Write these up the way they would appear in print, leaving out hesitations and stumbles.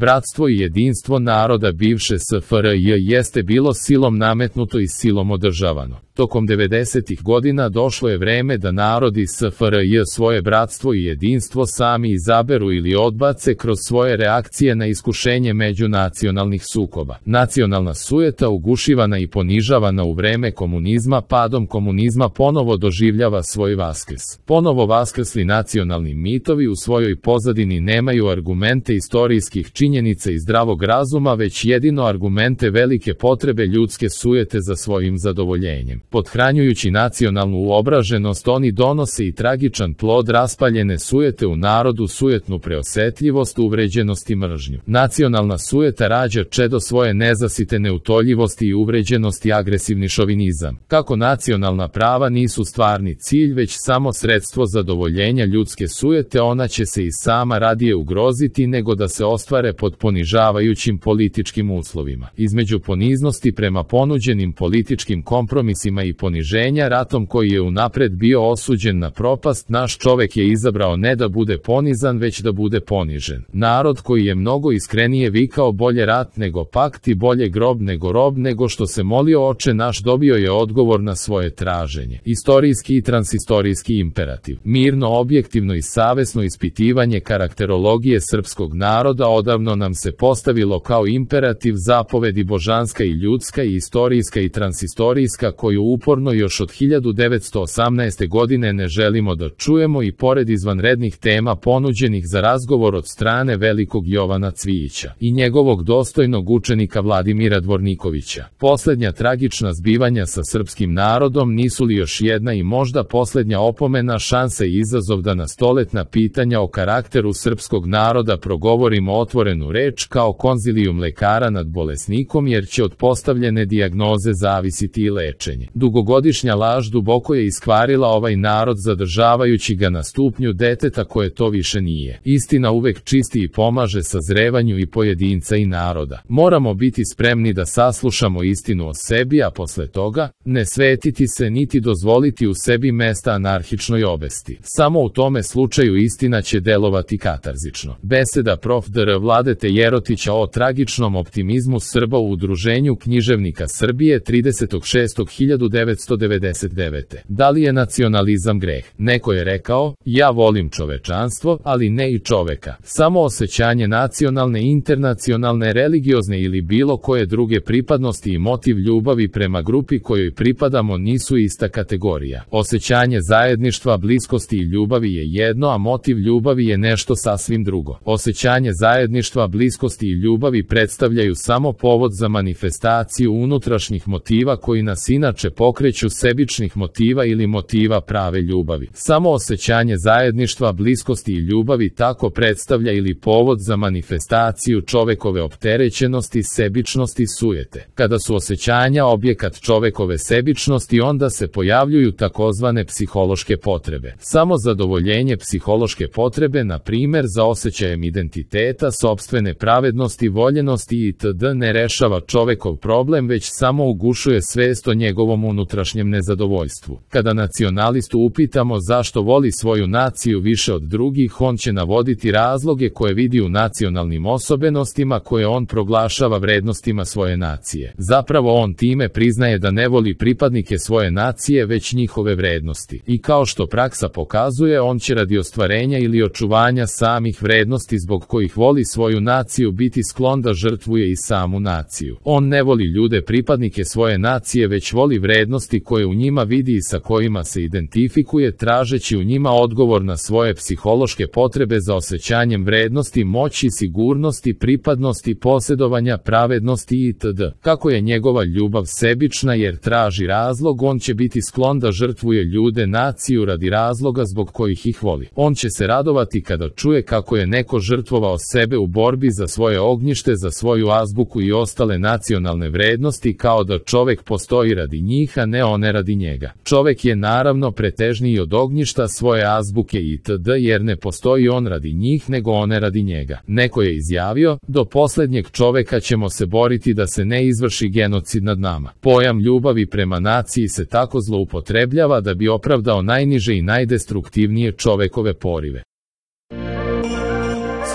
Bratstvo i jedinstvo naroda bivše SFRJ jeste bilo silom nametnuto i silom održavano. Tokom 90. godina došlo je vreme da narodi SFRJ svoje bratstvo i jedinstvo sami izaberu ili odbace kroz svoje reakcije na iskušenje međunacionalnih sukoba. Nacionalna sujeta ugušivana i ponižavana u vreme komunizma padom komunizma ponovo doživljava svoj vaskrs. Ponovo vaskrsli nacionalni mitovi u svojoj pozadini nemaju argumente istorijskih činjenica i zdravog razuma, već jedino argumente velike potrebe ljudske sujete za svojim zadovoljenjem. Pothranjujući nacionalnu uobraženost, oni donose i tragičan plod raspaljene sujete u narodu, sujetnu preosetljivost, uvređenost i mržnju. Nacionalna sujeta rađa čedo svoje nezasite neutoljivosti i uvređenosti, agresivni šovinizam. Kako nacionalna prava nisu stvarni cilj, već samo sredstvo zadovoljenja ljudske sujete, ona će se i sama radije ugroziti nego da se ostvare pod ponižavajućim političkim uslovima. Između poniznosti prema ponuđenim političkim kompromisima i poniženja ratom koji je unapred bio osuđen na propast, naš čovek je izabrao ne da bude ponizan, već da bude ponižen. Narod koji je mnogo iskrenije vikao bolje rat nego pakt i bolje grob nego rob nego što se molio Oče naš, dobio je odgovor na svoje traženje. Istorijski i transistorijski imperativ. Mirno, objektivno i savesno ispitivanje karakterologije srpskog naroda odavno nam se postavilo kao imperativ, zapovedi božanska i ljudska i istorijska i transistorijska, koju uporno još od 1918. godine ne želimo da čujemo i pored izvanrednih tema ponuđenih za razgovor od strane velikog Jovana Cvijića i njegovog dostojnog učenika Vladimira Dvornikovića. Poslednja tragična zbivanja sa srpskim narodom nisu li još jedna i možda poslednja opomena, šansa i izazov da na stoletna pitanja o karakteru srpskog naroda progovorimo otvorenu reč kao konzilijum lekara nad bolesnikom, jer će od postavljene dijagnoze zavisiti i lečenje. Dugogodišnja laž duboko je iskvarila ovaj narod, zadržavajući ga na stupnju deteta koje to više nije. Istina uvek čisti i pomaže sazrevanju i pojedinca i naroda. Moramo biti spremni da saslušamo istinu o sebi, a posle toga ne svetiti se niti dozvoliti u sebi mesta anarhičnoj obesti. Samo u tome slučaju istina će delovati katarzično. Beseda prof. dr. Vladete Jerotića o tragičnom optimizmu Srba u Udruženju književnika Srbije 30.6.1999. Da li je nacionalizam greh? Neko je rekao, ja volim čovečanstvo, ali ne i čoveka. Samo osjećanje nacionalne, internacionalne, religiozne ili bilo koje druge pripadnosti i motiv ljubavi prema grupi kojoj pripadamo nisu ista kategorija. Osjećanje zajedništva, bliskosti i ljubavi je jedno, a motiv ljubavi je nešto sasvim drugo. Osjećanje zajedništva, bliskosti i ljubavi predstavljaju samo povod za manifestaciju unutrašnjih motiva koji nas inače pokreću, sebičnih motiva ili motiva prave ljubavi. Samo osjećanje zajedništva, bliskosti i ljubavi tako predstavlja ili povod za manifestaciju čovekove opterećenosti, sebičnosti, sujete. Kada su osjećanja objekat čovekove sebičnosti, onda se pojavljuju takozvane psihološke potrebe. Samo zadovoljenje psihološke potrebe, na primer za osjećajem identiteta, sopstvene pravednosti, voljenosti itd. ne rešava čovekov problem, već samo ugušuje svest o njegovom unutrašnjem nezadovoljstvu. Kada nacionalistu upitamo zašto voli svoju naciju više od drugih, on će navoditi razloge koje vidi u nacionalnim osobenostima koje on proglašava vrednostima svoje nacije. Zapravo on time priznaje da ne voli pripadnike svoje nacije, već njihove vrednosti. I kao što praksa pokazuje, on će radi ostvarenja ili očuvanja samih vrednosti zbog kojih voli svoju naciju biti sklon da žrtvuje i samu naciju. On ne voli ljude pripadnike svoje nacije, već voli vrednosti koje u njima vidi i sa kojima se identifikuje, tražeći u njima odgovor na svoje psihološke potrebe za osjećanjem vrednosti, moći, sigurnosti, pripadnosti, posjedovanja, pravednosti itd. Kako je njegova ljubav sebična jer traži razlog, on će biti sklon da žrtvuje ljude, naciju radi razloga zbog kojih ih voli. On će se radovati kada čuje kako je neko žrtvovao sebe u borbi za svoje ognjište, za svoju azbuku i ostale nacionalne vrednosti, kao da čovek postoji radi njih, a ne one radi njega. Čovek je naravno pretežniji od ognjišta svoje azbuke itd. jer ne postoji on radi njih, nego one radi njega. Neko je izjavio, do poslednjeg čoveka ćemo se boriti da se ne izvrši genocid nad nama. Pojam ljubavi prema naciji se tako zloupotrebljava da bi opravdao najniže i najdestruktivnije čovekove porive.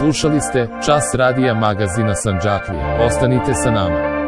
Slušali ste Čas radija magazina Sandžaklija. Ostanite sa nama.